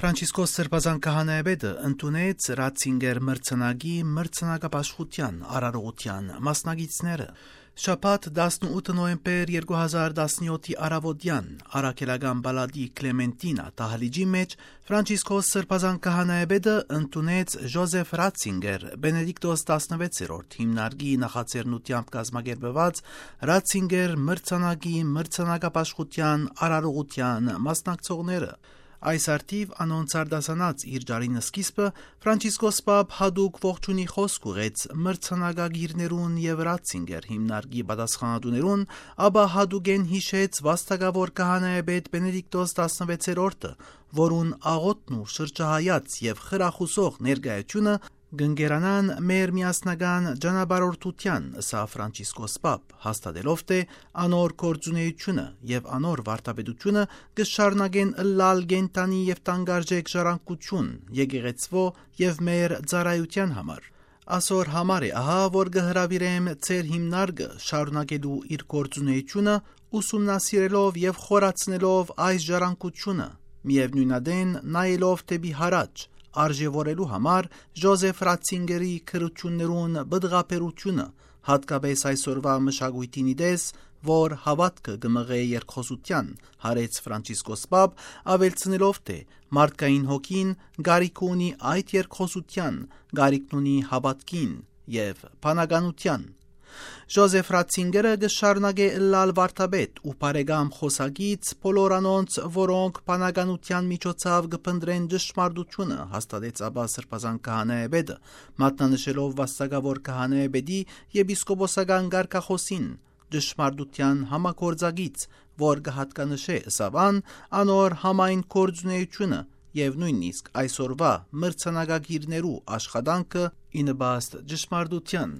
Ֆրանցիսկոս Սրբազան քահանայապետը ընդունեց Ռատցինգեր մրցանակի մրցանակապաշխության արարողության մասնագետները։ Շաբաթ 18 նոյեմբեր 2017-ի առավոտյան Արաքելական բալադի Կլեմենտինա տահալիճի մեջ Ֆրանցիսկոս Սրբազան քահանայապետը ընդունեց Ժոզեֆ Ռատցինգեր Բենեդիկտոս 16-րդ հիմնարկի նախաձեռնությամբ կազմակերպված Ռատցինգեր մրցանակի մրցանակապաշխության արարողության մասնակցողները։ Այս արդիվ անոնց արդասանած իր ջարինը սկիզբը Ֆրանցիսկոս Պապ հադուկ ողջունի խոսք ուղեց մրցանակագիրներուն եւ Ռատցինգեր հիմնարկի պատասխանատուներուն, ապա հադուկեն հիշեց վաստակավոր քահանայապետ Բենեդիկտոս 16-րդը, որուն աղոթն ու շրջահայաց եւ խրախուսող ներկայությունը գնկերանան մեր միասնական ճանապարհորդության, սա Ֆրանցիսկոս Պապ, հաստատելով թե անոր գործունեությունը եւ անոր վարդապետությունը կշարունակեն ըլլալ գենտանի եւ տանգարժեք ժառանգություն, եկեղեցվո եւ մեր ծառայության համար։ Ասոր համար է ահա, որ կհրավիրեմ ծեր հիմնարկը շարունակելու իր գործունեությունը, ուսումնասիրելով եւ խորացնելով այս ժառանգությունը, միևնույնադեն նայելով դեպի հարաճ, արժևորելու համար Ժոզեֆ Ռատցինգերի քրություններուն բդղապերությունը, հատկապես այսօրվա մշակույթին իդես, որ հավատքը կմղե երկխոսության, հարեց Ֆրանցիսկոս Պապ, ավելցնելով թե մարդկային հոգին գարիք ունի այդ երկխոսության, գարիքն ունի հավատքին եւ բանականության։ Ժոզեֆ Ռատցինգերը կշարունակե ըլլալ վարդապետ ու բարեկամ խոսակից բոլոր անոնց, որոնք բանականության միջոցով կփնտրեն ճշմարտությունը, հաստատեց ապա Սրբազան քահանայապետը, մատնանշելով վաստակավոր քահանայապետի եպիսկոպոսական կարգախոսին, ճշմարտության համագործակից, որ կհատկանշե ըսավան անոր համայն գործունեությունը եւ նույնիսկ այսօրվա մրցանակագիրներու աշխատանքը ի նպաստ ճշմարտության։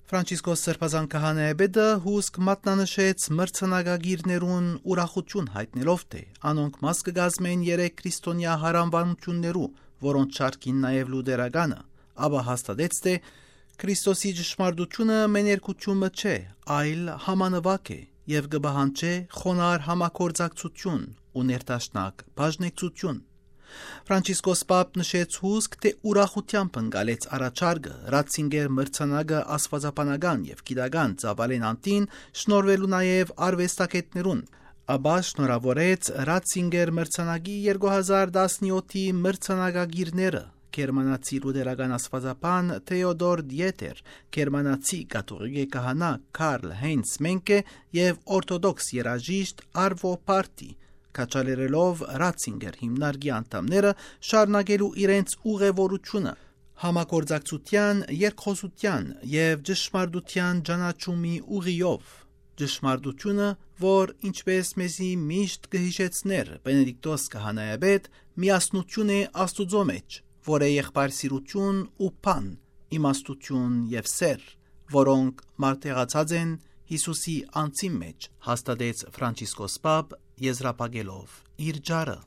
Ֆրանցիսկոս Սրբազան քահանայապետը հուսք մատնանշեց մրցանակագիրներուն ուրախություն հայտնելով թե անոնք մաս կգազմեն 3 քրիստոնյա հարանվանություններու, որոնց շարքին նաեւ լուդերականը, ապա հաստատեց թե Քրիստոսի ճշմարտությունը մեներկությունը չէ, այլ համանվակ է եւ կբահանջե խոնար համագործակցություն ու ներդաշնակ բաժնեկցություն։ Ֆրանցիսկոս Պապ նշեց հուսք, թե ուրախությամբ ընկալեց առաջարկը Ռատցինգեր մրցանակը աստվածաբանական եւ գիտական ծավալեն անտին շնորհվելու նաեւ արվեստագետներուն, ապա շնորհավորեց Ռատցինգեր մրցանակի 2017-ի մրցանակագիրները գերմանացի լուդերական աստվածաբան Թեոդոր Դիետեր, գերմանացի կաթողիկ քահանա Կարլ Հեյնց Մենկե եւ օրթոդոքս երաժիշտ Արվո Պարտի, կաչալերելով Ռատցինգեր հիմնարկի անդամները շարունակելու իրենց ուղևորությունը համագործակցության, երկխոսության եւ ճշմարտության ճանաչումի ուղիով։ Ճշմարտությունը, որ ինչպես մեզի միշտ կհիշեցներ Բենեդիկտոս քահանայապետ, միասնություն է Աստուծո մեջ, որ է եղբայրսիրություն ու բան, իմաստություն եւ սեր, որոնք մարտեղացած են Հիսուսի անձի մեջ, հաստատեց Ֆրանցիսկոս Պապ, եզրափակելով իր ջարը։